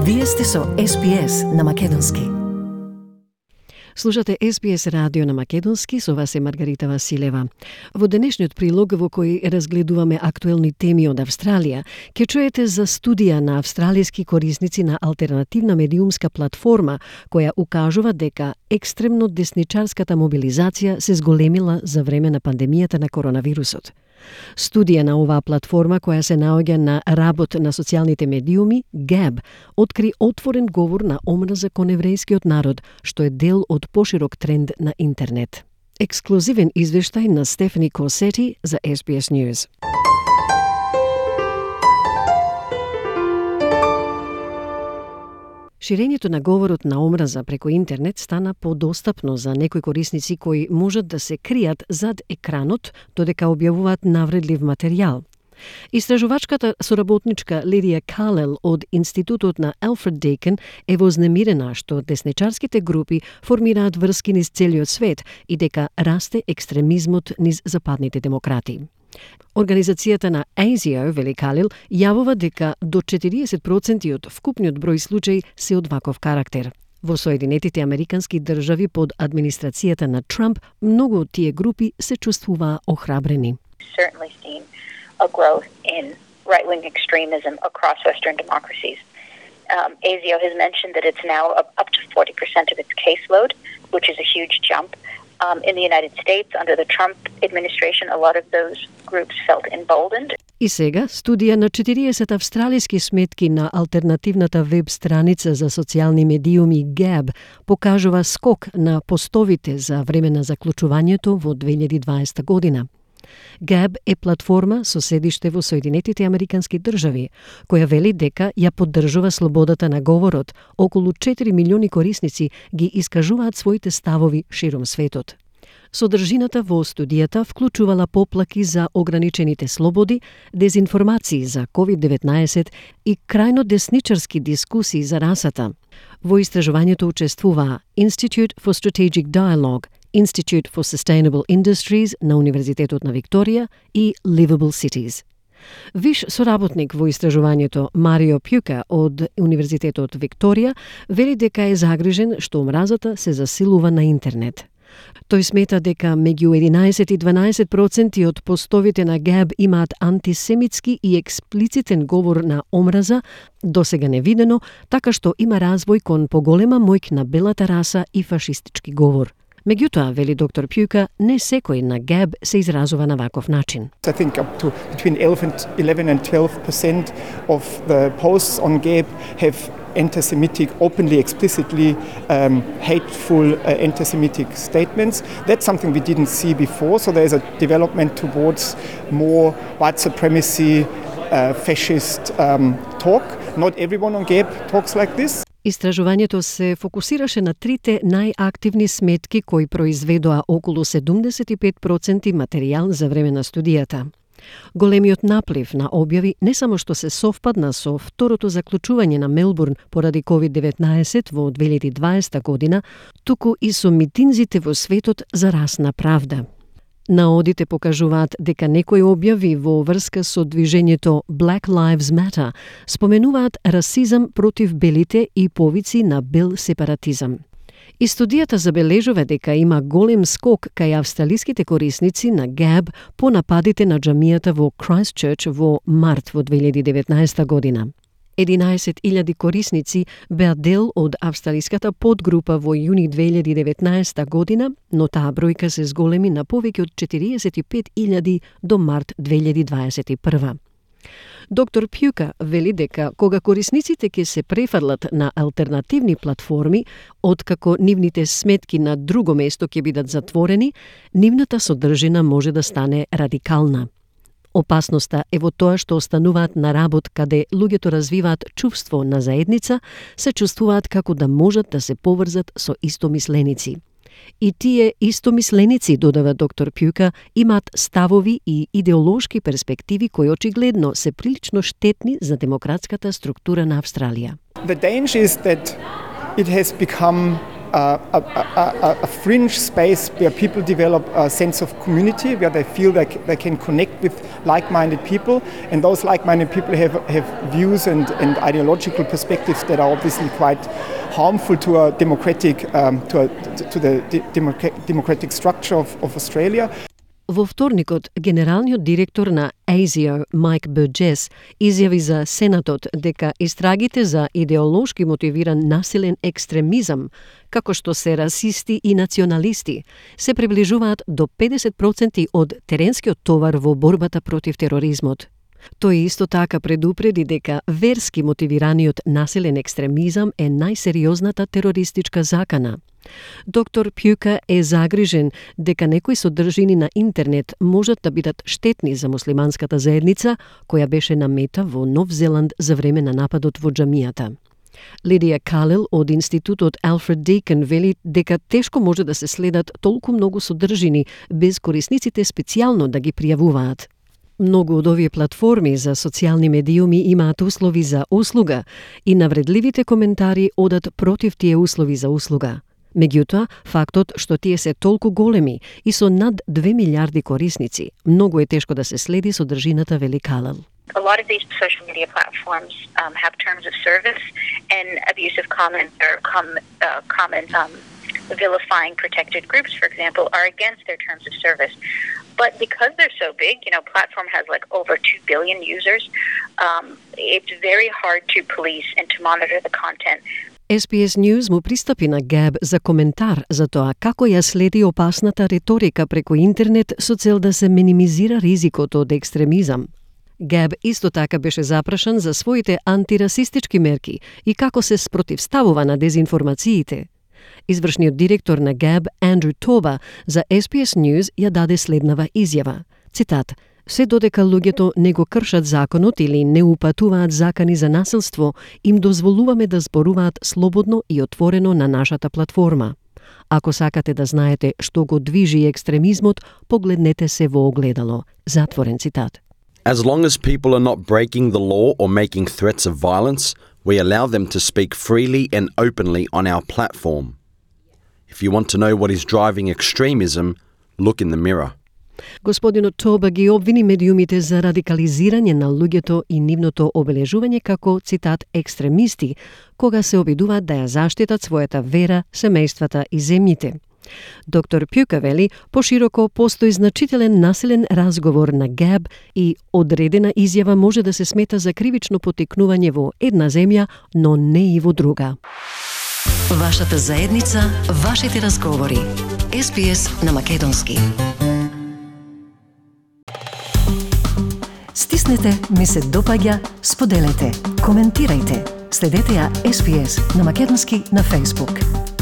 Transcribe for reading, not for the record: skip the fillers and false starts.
Вие сте со SPS на Македонски. Слушате SPS радио на Македонски, со вас е Маргарита Василева. Во денешниот прилог во кој разгледуваме актуелни теми од Австралија, ќе чуете за студија на австралиски корисници на алтернативна медиумска платформа која укажува дека екстремно десничарската мобилизација се зголемила за време на пандемијата на коронавирусот. Студија на оваа платформа, која се наоѓа на работ на социјалните медиуми, Gab, откри отворен говор на омраза кон еврејскиот народ, што е дел од поширок тренд на интернет. Ексклузивен извештај на Стефани Косети за SBS News. Ширењето на говорот на омраза преку интернет стана подостапно за некои корисници кои можат да се кријат зад екранот додека објавуваат навредлив материјал. Истражувачката соработничка Лидија Калел од Институтот на Алфред Дейкен е вознемирена што десничарските групи формираат врски низ целиот свет и дека расте екстремизмот низ западните демократи. Организацијата на ASIO, вели Калил, јавува дека до 40% од вкупниот број случаи се од ваков карактер. Во Соединетите Американски држави под администрацијата на Трамп, многу од тие групи се чувствуваа охрабрени. Certainly seen a growth in right-wing extremism across Western democracies. ASIO has mentioned that it's now up to 40% of its caseload, which is a huge jump. In the United States, under the Trump administration, a lot of those groups felt emboldened. И сега, студија на 40 австралиски сметки на алтернативната веб страница за социјални медиуми Gab покажува скок на постовите за време на заклучувањето во 2020 година. Gab е платформа со седиште во Соединетите Американски држави, која вели дека ја поддржува слободата на говорот. Околу 4 милиони корисници ги искажуваат своите ставови широм светот. Содржината во студијата вклучувала поплаки за ограничените слободи, дезинформации за COVID-19 и крајно десничарски дискусии за расата. Во истражувањето учествуваа Institute for Strategic Dialogue, Institute for Sustainable Industries на Универзитетот на Викторија и Livable Cities. Виш соработник во истражувањето Марио Пјука од Универзитетот Викторија вели дека е загрижен што омразата се засилува на интернет. Тој смета дека меѓу 11 и 12% од постовите на Gab имаат антисемитски и експлицитен говор на омраза, досега невидено, така што има развој кон поголема моќ на белата раса и фашистички говор. Меѓутоа, вели доктор Пјука, не секој на Gab се изразува на ваков начин. I think up to between 11 and 12% of the posts on Gab have anti-Semitic, openly, explicitly hateful anti-Semitic statements. That's something we didn't see before, so there's a development towards more white supremacy, fascist talk. Not everyone on Gab talks like this. Истражувањето се фокусираше на трите најактивни сметки кои произведоа околу 75% материјал за време на студијата. Големиот наплив на објави не само што се совпадна со второто заклучување на Мелбурн поради COVID-19 во 2020 година, туку и со митинзите во светот за расна правда. Наодите покажуваат дека некои објави во врска со движењето Black Lives Matter споменуваат расизам против белите и повици на бел сепаратизам. И студијата забележува дека има голем скок кај австралиските корисници на Gab по нападите на џамијата во Christchurch во март во 2019 година. 11.000 корисници беа дел од австралиската подгрупа во јуни 2019 година, но таа бројка се зголеми на повеќе од 45.000 до март 2021. Доктор Пјука вели дека кога корисниците ќе се префрлат на алтернативни платформи, откако нивните сметки на друго место ќе бидат затворени, нивната содржина може да стане радикална. Опасноста е во тоа што остануваат на работ каде луѓето развиваат чувство на заедница, се чувствуваат како да можат да се поврзат со истомисленици. И тие истомисленици, додава доктор Пјука, имаат ставови и идеолошки перспективи кои очигледно се прилично штетни за демократската структура на Австралија. The danger is that it has become a fringe space where people develop a sense of community, where they feel like they can connect with like-minded people, and those like-minded people have views and ideological perspectives that are obviously quite harmful to a democratic democratic structure of Australia. Во вторникот, генералниот директор на ASIO, Майк Бурджес, изјави за Сенатот дека истрагите за идеолошки мотивиран насилен екстремизам, како што се расисти и националисти, се приближуваат до 50% од теренскиот товар во борбата против тероризмот. Тој исто така предупреди дека верски мотивираниот насилен екстремизам е најсериозната терористичка закана. Доктор Пјука е загрижен дека некои содржини на интернет можат да бидат штетни за муслиманската заедница, која беше на мета во Нов Зеланд за време на нападот во џамијата. Лидија Калел од Институтот Алфред Дейкин вели дека тешко може да се следат толку многу содржини без корисниците специјално да ги пријавуваат. Многу од овие платформи за социјални медиуми имаат услови за услуга и навредливите коментари одат против тие услови за услуга. Меѓутоа, фактот што тие се толку големи и со над 2 милиарди корисници, многу е тешко да се следи содржината, вели Калел. A lot of these social media platforms have terms of service, and abusive comments or comments vilifying protected groups, for example, are against their terms of service. But because they're so big, platform has like over 2 billion users, it's very hard to police and to monitor the content. SBS News му пристапи на Габ за коментар за тоа како ја следи опасната реторика преку интернет со цел да се минимизира ризикот од екстремизам. Габ исто така беше запрашан за своите антирасистички мерки и како се спротивставува на дезинформациите. Извршниот директор на Габ, Андрю Тоба, за SBS News ја даде следнава изјава. Цитат: "Се додека луѓето не го кршат законот или не упатуваат закани за насилство, им дозволуваме да зборуваат слободно и отворено на нашата платформа. Ако сакате да знаете што го движи екстремизмот, погледнете се во огледало." Затворен цитат. As long as people are not breaking the law or making threats of violence, we allow them to speak freely and openly on our platform. If you want to know what is driving extremism, look in the mirror. Господинот Тоба ги обвини медиумите за радикализирање на луѓето и нивното обележување како, цитат, екстремисти, кога се обидуваат да ја заштитат својата вера, семејствата и земјите. Доктор Пјука вели, пошироко постои значителен насилен разговор на Габ и одредена изјава може да се смета за кривично потикнување во една земја, но не и во друга. Вашата заедница, вашите разговори. SBS на македонски. Стиснете, ми се допаѓа, споделете, коментирајте. Следете ја SBS на македонски на Facebook.